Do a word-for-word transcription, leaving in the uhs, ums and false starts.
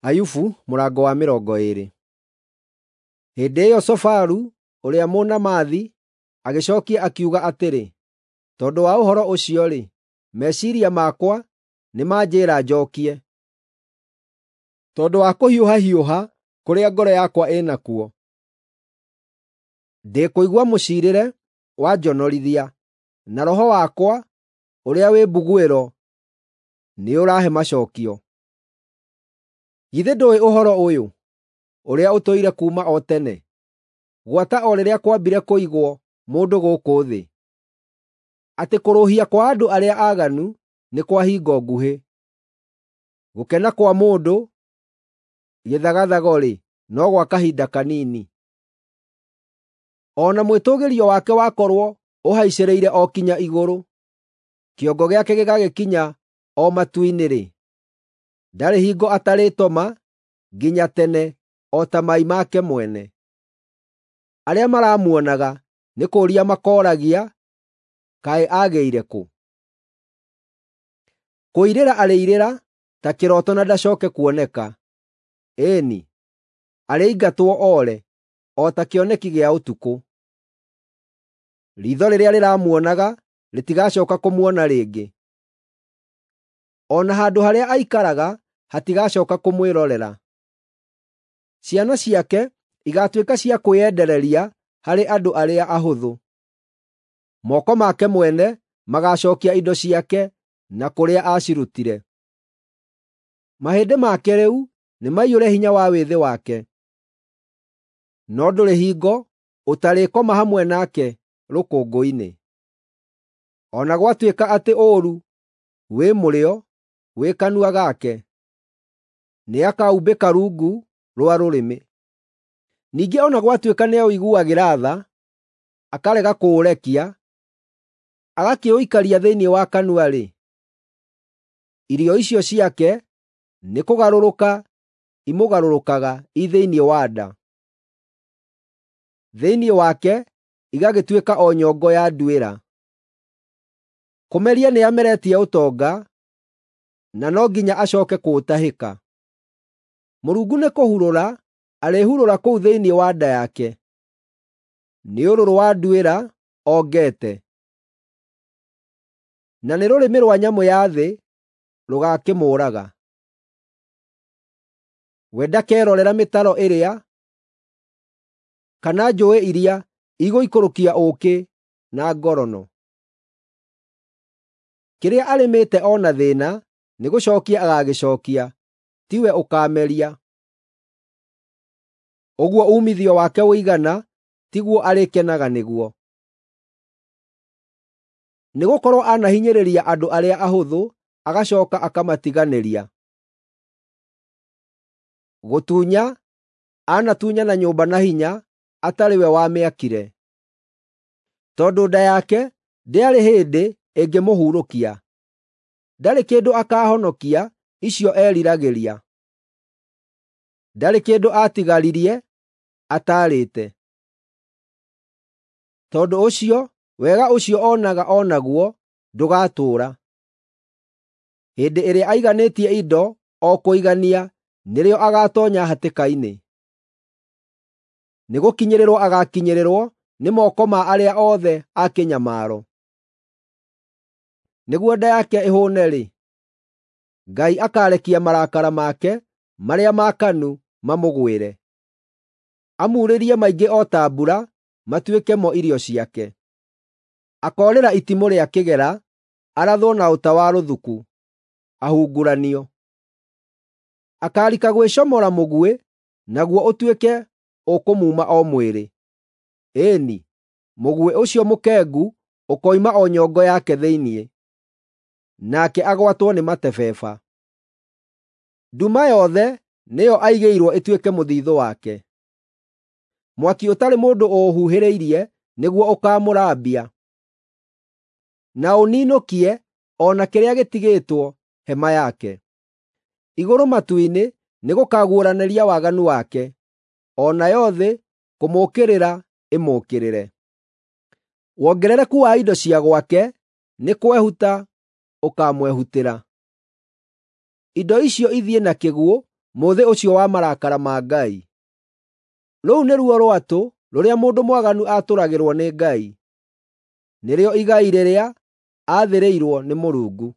Ayubu mũrango wa mĩrongo ĩĩrĩ. Hĩndĩ ĩyo Zofaru ũrĩa Mũnaamathi agĩcookia akiuga atĩrĩ, “Tondũ wa ũhoro ũcio-rĩ, meciiria makwa nĩmanjĩĩra njookie, tondũ wa kũhiũhahiũha kũrĩa ngoro yakwa ĩ nakuo. Ndĩkũigua mũciirĩre wanjonorithia, na roho wakwa ũrĩa wĩ mbuguĩro nĩũrahe macookio. Githĩ ndũũĩ ũhoro ũyũ, ũrĩa ũtũire kuuma o tene, gwata o rĩrĩa kwambire kũigwo mũndũ gũkũ thĩ, atĩ kũrũũhia kwa andũ arĩa aaganu nĩ kwa hingo nguhĩ, gũkena kwa mũndũ gĩthagathago-rĩ, no gwa kahinda kanini? O na mwĩtũũgĩrio wake wakorwo ũhaicĩrĩire o kinya igũrũ, kĩongo gĩake gĩgagĩkinya o matu-inĩ-rĩ, ndarĩ hingo atarĩtoma nginya tene o ta mai make mwene. Arĩa maramuonaga nĩ kũũria makooragia, ‘Kaĩ aagĩire kũ?’ Kũirĩra arĩirĩra ta kĩroto na ndacooke kuoneka; ĩĩ-ni, arĩingatwo oore o ta kĩoneki gĩa ũtukũ. Riitho rĩrĩa rĩramuonaga rĩtigacooka kũmuona rĩngĩ, o na handũ harĩa aikaraga hatigacooka kũmwĩrorera. Ciana ciake igaatuĩka cia kwĩyendereria harĩ andũ arĩa ahũthũ. Moko make mwene magaacookia indo ciake na kũrĩa aacirutire. Mahĩndĩ make rĩu nĩmaiyũre hinya wa wĩthĩ wake, no ndũrĩ hingo ũtarĩkoma hamwe nake rũkũngũ-inĩ. O na gwatuĩka atĩ ũũru wĩ mũrĩo wĩ kanua gake, nĩakaumbĩka rungu rwa rũrĩmĩ. Ningĩ o na gwatuĩka nĩaũiguagĩra tha, akarega kũũrekia, agakĩũikaria thĩinĩ wa kanua-rĩ, irio icio ciake nĩkũgarũrũka imũgarũrũkaga i thĩinĩ wa nda. Thĩinĩ wake igagĩtuĩka o nyongo ya nduĩra. Kũmeria nĩameretie ũtonga, na no nginya acooke kũũtahĩka. Mũrungu nĩkũhurũra arĩhurũra kũu thĩinĩ wa nda yake; nĩ ũrũrũ wa nduĩra ongete, na nĩ rũrĩmĩ rwa nyamũ-ya-thĩ rũgaakĩmũũraga. We ndakerorera mĩtaro ĩrĩa, kana njũũĩ iria igũikũrũkia ũũkĩ na ngorono. Kĩrĩa arĩmĩte o na thĩĩna nĩgũcookia agaagĩcookia, tiwe ũkaameria. Ũguo uumithio wake ũigana tiguo arĩkenaga nĩguo, nĩgũkorwo anahinyĩrĩria andũ arĩa ahũthũ agacooka akamatiganĩria. Gũtunya anatunyana nyũmba na hinya atarĩ we wamĩakire. Tondũ nda yake ndĩarĩ hĩndĩ ĩngĩmũhurũkia, ndarĩ kĩndũ akaahonokia icio eriragĩria. Ndarĩ kĩndũ aatigaririe ataarĩte. Tondũ ũcio wega ũcio oonaga o naguo ndũgatũũra. Hĩndĩ ĩrĩa aiganĩtie indo o kũigania nĩrĩo agaatoonya hatĩka-inĩ. Nĩgũkinyĩrĩrwo agaakinyĩrĩrwo nĩ moko ma arĩa othe a kĩnyamaro. Nĩguo nda yake ĩhũũne-rĩ, Ngai akaarekia marakara make marĩa maakanu mamũgwĩre, amuurĩrie maingĩ o ta mbura matuĩke mo irio ciake. Akoorĩra itimũ rĩa kĩgera, arathwo na ũta wa rũthuku, ahunguranio. Akaarika gwĩcomora mũguĩ, naguo ũtuĩke ũkũmuuma o mwĩrĩ. Ĩĩ-ni, mũguĩ ũcio mũkengu ũkoima o nyongo yake thĩinĩ, nake agwatwo nĩ matebeba. Nduma yothe nĩyo aigĩirwo ĩtuĩke mũthiithũ wake. Mwaki ũtarĩ mũndũ ũũhuhĩrĩirie nĩguo ũkaamũrambia, na ũninũkie o na kĩrĩa gĩtigĩtwo hema yake. Igũrũ matu-inĩ nĩgũkaguũranĩria waganu wake, o nayo thĩ kũmũũkĩrĩra ĩmũũkĩrĩre. Wongerereku wa indo cia gwake nĩ kwehuta ũkaamwehutĩra. Indo icio ithiĩ na kĩguũ mũthĩ ũcio wa marakara ma Ngai. Rũu nĩruo rwatũ rũrĩa mũndũ mwaganu aatũragĩrwo nĩ Ngai, nĩrĩo igai rĩrĩa aathĩrĩirwo nĩ Mũrungu.